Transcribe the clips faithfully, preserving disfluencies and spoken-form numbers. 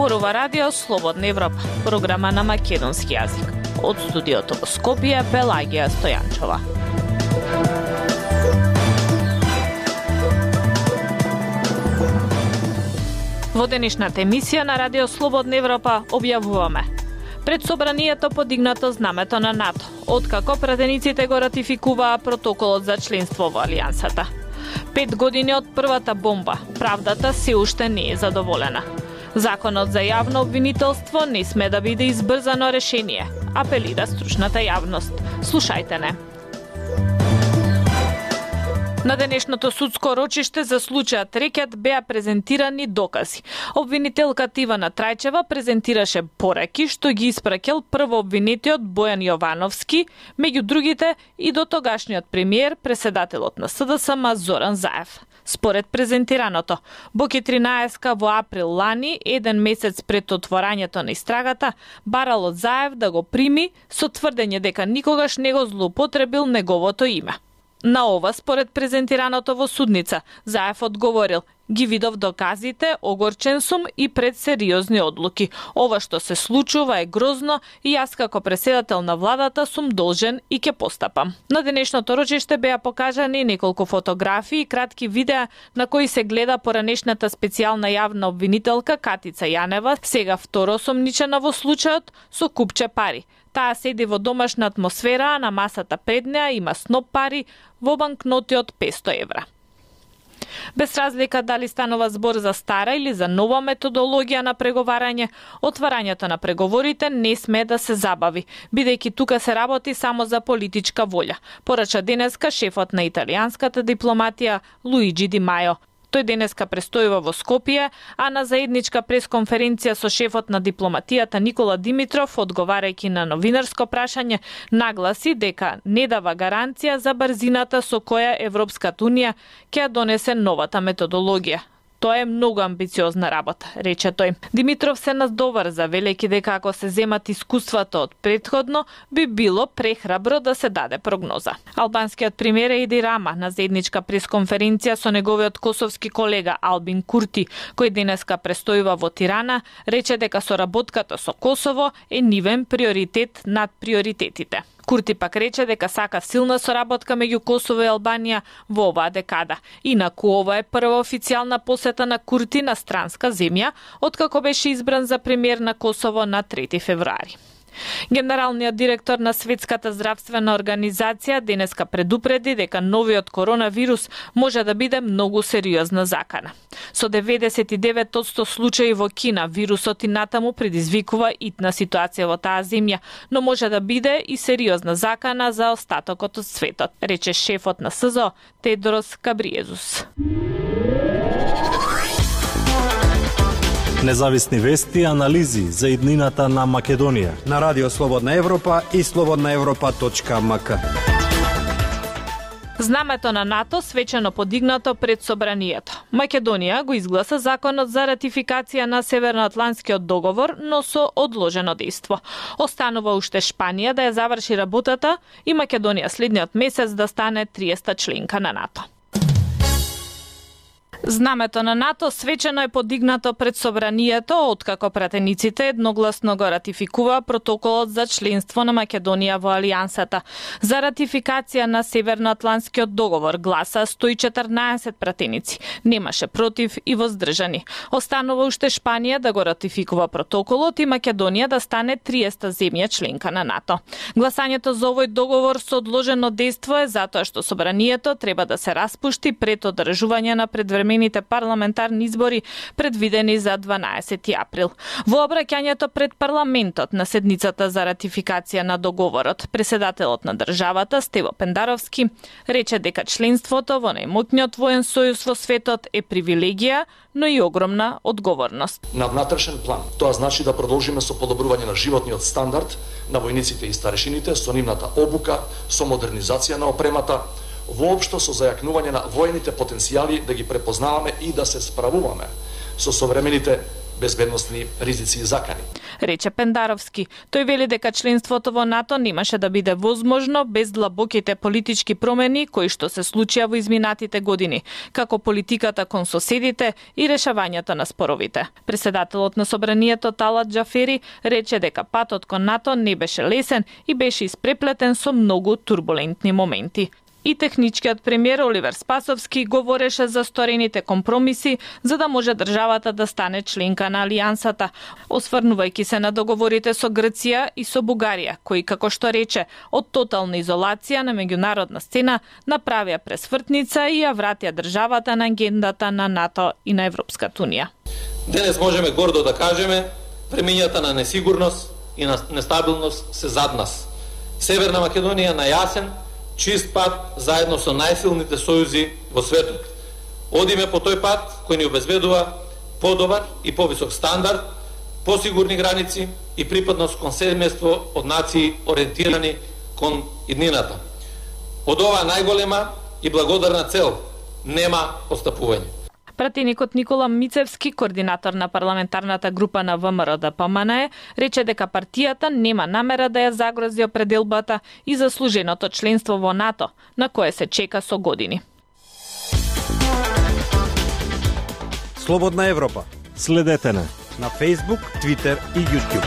Зборува радио Слободна Европа, програма на македонски јазик. Од студиото во Скопје, Пелагија Стојанчова. Во денешната емисија на радио Слободна Европа објавуваме: пред собранието подигнато знамето на НАТО, откако пратениците го ратификуваа протоколот за членство во Алијансата. Пет години од првата бомба, правдата се уште не е задоволена. Законот за јавно обвинителство не сме да биде избрзано решение, апелира стручната јавност. Слушајте не. На денешното судско рочиште за случајот Рекет беа презентирани докази. Обвинителката Ивана Трајчева презентираше пораки што ги испраќал прво обвинетиот Бојан Јовановски, меѓу другите и до тогашниот премиер, преседателот на С Д С М Зоран Заев. Според презентираното, Боки тринаесетка во април лани, еден месец пред отворањето на истрагата, барал од Заев да го прими со тврдење дека никогаш не го злоупотребил неговото име. На ова, според презентираното во судница, Заев одговорил: ги видов доказите, огорчен сум и пред сериозни одлуки. Ова што се случува е грозно и јас како преседател на владата сум должен и ќе постапам. На денешното рочиште беа покажани неколку фотографии и кратки видеа на кои се гледа поранешната специјална јавна обвинителка Катица Јанева, сега второ осомничена во случајот, со купче пари. Таа седи во домашна атмосфера, а на масата пред неа има сноп пари во банкноти од песто евра. Без разлика дали станува збор за стара или за нова методологија на преговарање, отварањето на преговорите не сме да се забави, бидејќи тука се работи само за политичка волја, порача денеска шефот на италијанската дипломатија Луиджи Ди Мајо. Тој денеска престојува во Скопје, а на заедничка пресконференција со шефот на дипломатијата Никола Димитров, одговарајќи на новинарско прашање, нагласи дека не дава гаранција за брзината со која Европската унија ќе ја донесе новата методологија. Тоа е многу амбициозна работа, рече тој. Димитров се надоврза, велејќи дека ако се земат искуствата од претходно, би било прехрабро да се даде прогноза. Албанскиот премиер Еди Рама на заедничка пресконференција со неговиот косовски колега Албин Курти, кој денеска престојува во Тирана, рече дека соработката со Косово е нивен приоритет над приоритетите. Курти пак рече дека сака силна соработка меѓу Косово и Албанија во оваа декада. Инаку ова е прва официјална посета на Курти на странска земја, откако беше избран за премиер на Косово на трети февруари. Генералниот директор на Светската здравствена организација денеска предупреди дека новиот коронавирус може да биде многу сериозна закана. Со деветдесет и девет одсто случаи во Кина, вирусот и натаму предизвикува итна ситуација во таа земја, но може да биде и сериозна закана за остатокот од светот, рече шефот на С З О Тедрос Габриезус. Независни вести и анализи за иднината на Македонија на радио Слободна Европа и слободна европа точка м к. Знамето на НАТО свечено подигнато пред собранието. Македонија го изгласа законот за ратификација на Северноатлантскиот договор, но со одложено дејство. Останува уште Шпанија да ја заврши работата и Македонија следниот месец да стане триесета членка на НАТО. Знамето на НАТО свечено е подигнато пред собранието, откако пратениците едногласно го ратификува протоколот за членство на Македонија во Алијансата. За ратификација на Северноатлантскиот договор гласа сто и четрнаесет пратеници, немаше против и воздржани. Останува уште Шпанија да го ратификува протоколот и Македонија да стане триесета земја членка на НАТО. Гласањето за овој договор со одложено дејство е затоа што собранието треба да се распушти пред одржување на предвремените парламентарни избори предвидени за дванаесети април. Во обраќањето пред парламентот на седницата за ратификација на договорот, преседателот на државата Стево Пендаровски рече дека членството во најмоќниот воен сојуз во светот е привилегија, но и огромна одговорност. На внатрешен план, тоа значи да продолжиме со подобрување на животниот стандард на војниците и старешините, со нивната обука, со модернизација на опремата, воопшто со зајакнување на воените потенцијали да ги препознаваме и да се справуваме со современите безбедносни ризици и закани. Рече Пендаровски. Тој вели дека членството во НАТО немаше да биде возможно без длабоките политички промени кои што се случија во изминатите години, како политиката кон соседите и решавањето на споровите. Председателот на Собранието Талат Џафери рече дека патот кон НАТО не беше лесен и беше испреплетен со многу турбулентни моменти. И техничкиот премиер Оливер Спасовски говореше за сторените компромиси за да може државата да стане членка на Алијансата, осврнувајќи се на договорите со Грција и со Бугарија, кои, како што рече, од тотална изолација на меѓународна сцена направија пресвртница и ја вратија државата на агендата на НАТО и на Европската унија. Денес можеме гордо да кажеме, времењата на несигурност и на нестабилност се зад нас. Северна Македонија на јасен, чист пат заедно со најсилните сојузи во светот. Одиме по тој пат кој ни обезбедува подобар и повисок стандард, посигурни граници и припадност кон семејство од нации ориентирани кон иднината. Од оваа најголема и благодарна цел нема отстапување. Пратеникот Никола Мицевски, координатор на парламентарната група на ВМРО Д П М Н Е, рече дека партијата нема намера да ја загрози определбата и заслуженото членство во НАТО, на кое се чека со години. Слободна Европа. Следете на на Facebook, Twitter и YouTube.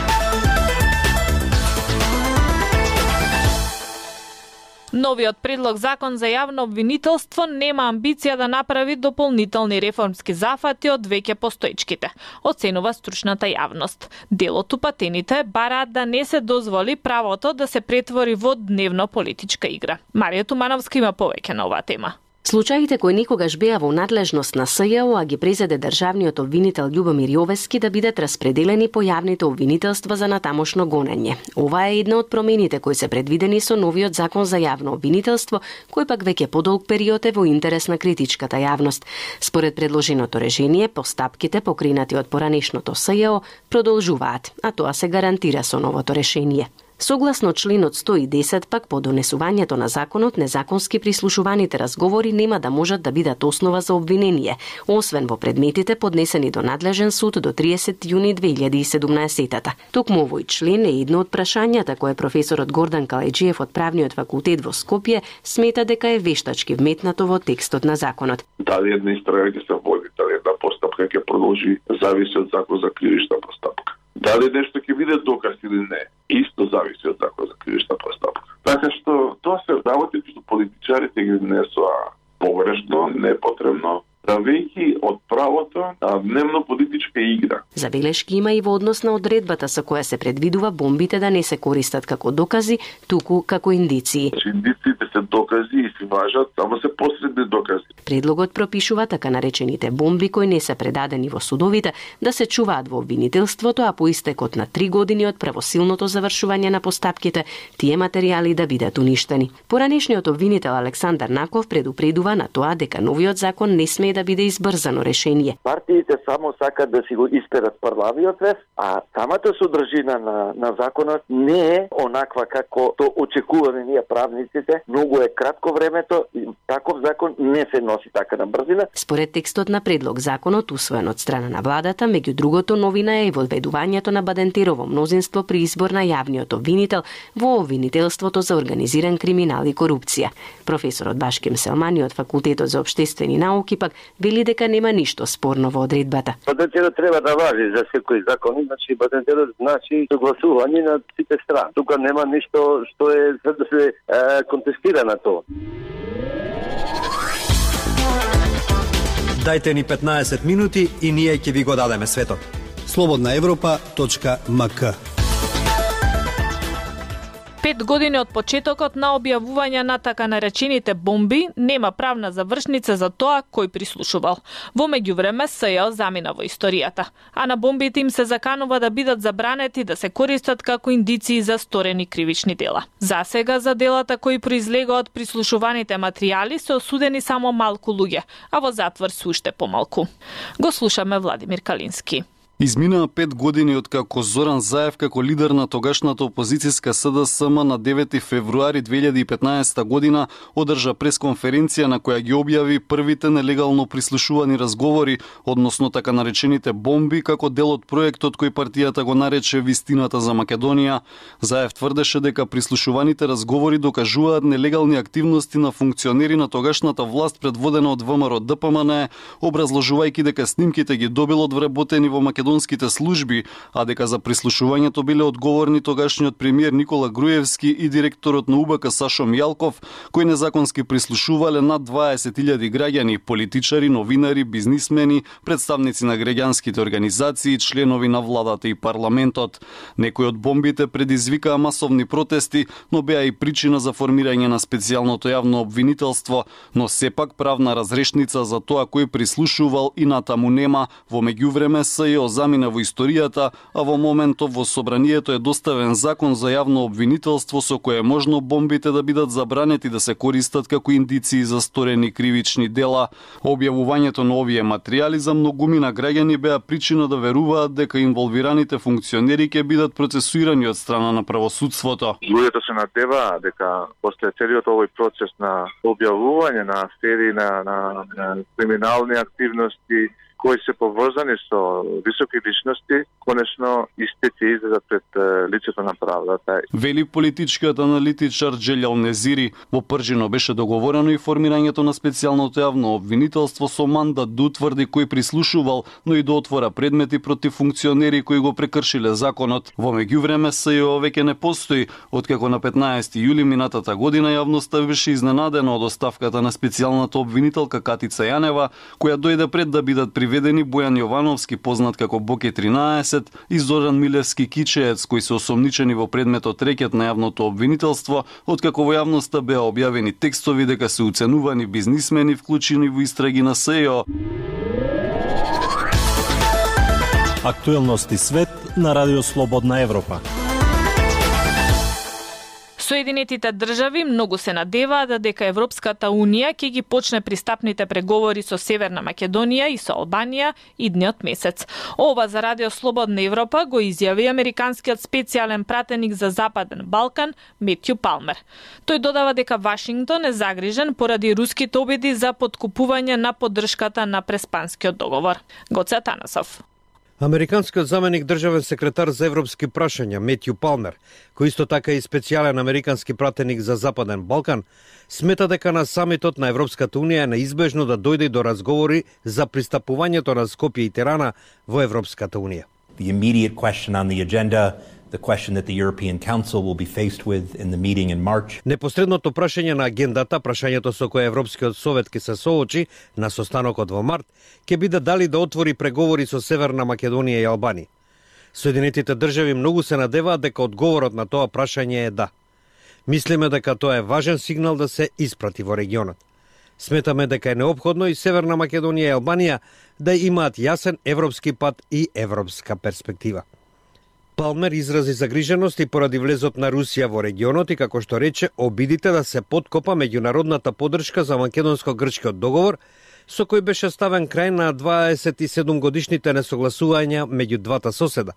Новиот предлог закон за јавно обвинителство нема амбиција да направи дополнителни реформски зафати од веќе постоечките, оценува стручната јавност. Дел од упатените бараат да не се дозволи правото да се претвори во дневно политичка игра. Марија Тумановска има повеќе на оваа тема. Случаите кои никогаш беа во надлежност на С Ј О, а ги презеде државниот обвинител Љубомир Јовески да бидат распределени по јавните обвинителства за натамошно гонење. Ова е една од промените кои се предвидени со новиот закон за јавно обвинителство, кој пак веќе подолг период е во интерес на критичката јавност. Според предложеното решение, постапките покренати од поранешното С Ј О продолжуваат, а тоа се гарантира со новото решение. Согласно членот сто и десет пак по донесувањето на законот, незаконски прислушуваните разговори нема да можат да бидат основа за обвинение, освен во предметите поднесени до надлежен суд до триесет јуни две илјади и седумнаесета. Токму овој член е едно од прашањата кое професорот Гордан Калеџиев од Правниот факултет во Скопје смета дека е вештачки вметнато во текстот на законот. Дали една истрага ќе се води, дали една постапка ќе продолжи, зависи од закон за кривична постапка. Дали нешто ќе биде доказ или не, исто зависи од закон за кривична постапка. Така што тоа се работи што политичарите ги внесоа погрешно, непотребно, правејќи од правото на дневно политичка игра. Забелешки има и во однос на одредбата со која се предвидува бомбите да не се користат како докази, туку како индиции. Индициите се докази и се важат, само се посредни докази. Предлогот пропишува така наречените бомби кои не се предадени во судовите да се чуваат во обвинителството, а по истекот на три години од правосилното завршување на постапките, тие материјали да бидат уништени. Поранешниот обвинител Александар Наков предупредува на тоа дека новиот закон не сме да биде избрзано решение. Партиите само сакат да си го исперат првавиот вес, а самата содржина на, на законот не е онаква како то очекуваме ние правниците. Многу е кратко времето и таков закон не се носи така на брзина. Според текстот на предлог законот, усвоен од страна на владата, меѓу другото новина е и воведувањето на Бадентерово мнозинство при избор на јавниот обвинител во обвинителството за организиран криминал и корупција. Професорот Башкем Селмани од Факултетот за општествени науки пак вели дека нема ништо спорно во одредбата. Бадентерот треба да важи за секој закон, значи Бадентерот значи согласување на сите страни. Тука нема ништо што е за да се е, контестира на тоа. Дајте ни петнаесет минути и ние ќе ви го дадеме светот. слободна европа точка м к. Пет години од почетокот на објавување на така наречените бомби, нема правна завршница за тоа кој прислушувал. Во меѓувреме С Ј О замина во историјата, а на бомбите им се заканува да бидат забранети да се користат како индиции за сторени кривични дела. За сега за делата кои произлега од прислушуваните материјали се осудени само малку луѓе, а во затвор се уште помалку. Го слушаме Владимир Калински. Изминаа пет години од како Зоран Заев како лидер на тогашната опозицијска СДСМ на девети февруари две илјади и петнаесета година одржа пресконференција на која ги објави првите нелегално прислушувани разговори, односно така наречените бомби, како дел од проектот кој партијата го нарече Вистината за Македонија. Заев тврдеше дека прислушуваните разговори докажуваат нелегални активности на функционери на тогашната власт предводена од ВМРО Д П М Н, образложувајќи дека снимките ги добил од вработени во македонските служби, а дека за прислушувањето биле одговорни тогашниот премиер Никола Груевски и директорот на У Б К Сашо Мијалков, кои незаконски прислушувале над дваесет илјади граѓани, политичари, новинари, бизнисмени, представници на граѓанските организации, членови на владата и парламентот. Некои од бомбите предизвикаа масовни протести, но беа и причина за формирање на специјалното јавно обвинителство, но сепак правна разрешница за тоа кој прислушувал и натаму нема. Во меѓувреме СЈО замина во историјата, а во моментов во собранието е доставен закон за јавно обвинителство со кое е можно бомбите да бидат забранети да се користат како индиции за сторени кривични дела. Објавувањето на овие материјали за многумина граѓани беа причина да веруваат дека инволвираните функционери ќе бидат процесуирани од страна на правосудството. Луѓето се надеваат дека после целиот овој процес на објавување на афери, на, на, на криминални активности кои се поврзани со високи личности, конечно истите излезат пред лицето на правдата. Вели политичкиот аналитичар Джелјал Незири. Во Пржино беше договорено и формирањето на специјалното јавно обвинителство со мандат да утврди кој прислушувал, но и да отвора предмети против функционери кои го прекршиле законот. Во меѓувреме СЈО веќе не постои, откако на петнаесети јули минатата година јавноста беше изненадена од оставката на специјалната обвинителка Катица Јанева, која дојде пред да бидат приведени Бојан Јовановски, познат како Боке тринаесет, и Зоран Милевски Кичеец, кои се осомничени во предметот рекет на јавното обвинителство, откако во јавноста беа објавени текстови дека се уценувани бизнисмени вклучени во истраги на СЈО. Актуелности свет на Радио Слободна Европа. Соединетите држави многу се надеваат дека Европската Унија ќе ги почне пристапните преговори со Северна Македонија и со Албанија идниот месец. Ова за Радио Слободна Европа го изјави американскиот специјален пратеник за Западен Балкан Метју Палмер. Тој додава дека Вашингтон е загрижен поради руските обиди за поткупување на поддршката на Преспанскиот договор. Гоце Атанасов. Американскиот заменик државен секретар за европски прашања Метју Палмер, кој исто така и специјален американски пратеник за Западен Балкан, смета дека на самитот на Европската Унија е неизбежно да дојде до разговори за пристапувањето на Скопје и Тирана во Европската Унија. The immediate question on the agenda, the question that the European Council will be faced with in the meeting in March. Непосредното прашање на агендата, прашањето со кое Европскиот совет ќе се соочи на состанокот во март, ќе биде дали да отвори преговори со Северна Македонија и Албанија. Соединетите држави многу се надеваат дека одговорот на тоа прашање е да. Мислиме дека тоа е важен сигнал да се испрати во регионот. Сметаме дека е неопходно и Северна Македонија и Албанија да имаат јасен европски пат и европска перспектива. Палмер изрази загриженост и поради влезот на Русија во регионот и, како што рече, обидите да се подкопа меѓународната поддршка за македонско-грчкиот договор, со кој беше ставен крај на дваесет и седум годишните несогласувања меѓу двата соседа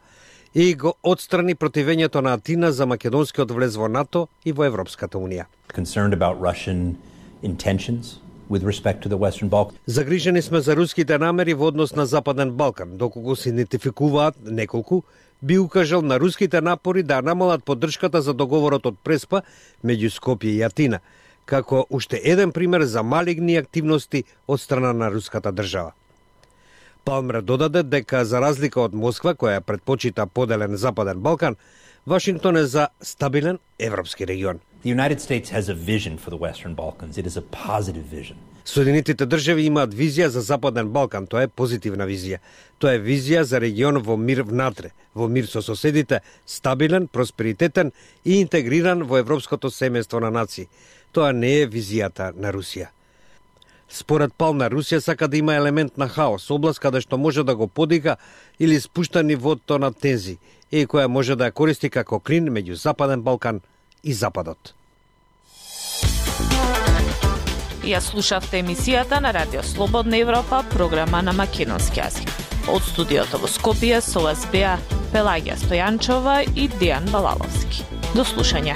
и го отстрани противењето на Атина за македонскиот влез во НАТО и во Европската Унија. Concerned about Russian intentions with respect to the Western Balkans. Загрижени сме за руските намери во однос на Западен Балкан, доколку се идентификуваат неколку, би укажал на руските напори да намалат поддршката за договорот од Преспа меѓу Скопје и Атина, како уште еден пример за малигни активности од страна на руската држава. Палмер додаде дека за разлика од Москва, која предпочита поделен Западен Балкан, Вашингтон е за стабилен европски регион. The United States has a vision for the Western Balkans. It is a positive vision. Соединетите држави имаат визија за Западен Балкан, тоа е позитивна визија. Тоа е визија за регион во мир внатре, во мир со соседите, стабилен, просперитетен и интегриран во европското семејство на нации. Тоа не е визијата на Русија. Според Палмер, Русија сака да има елемент на хаос, област каде што може да го подига или спушта нивото на тензи, и која може да ја користи како клин меѓу Западен Балкан и Западот. Ја слушавте емисијата на Радио Слободна Европа, програма на македонски јазик. Од студиото во Скопје со вас беа Пелагија Стојанчова и Дејан Балаловски. До слушање.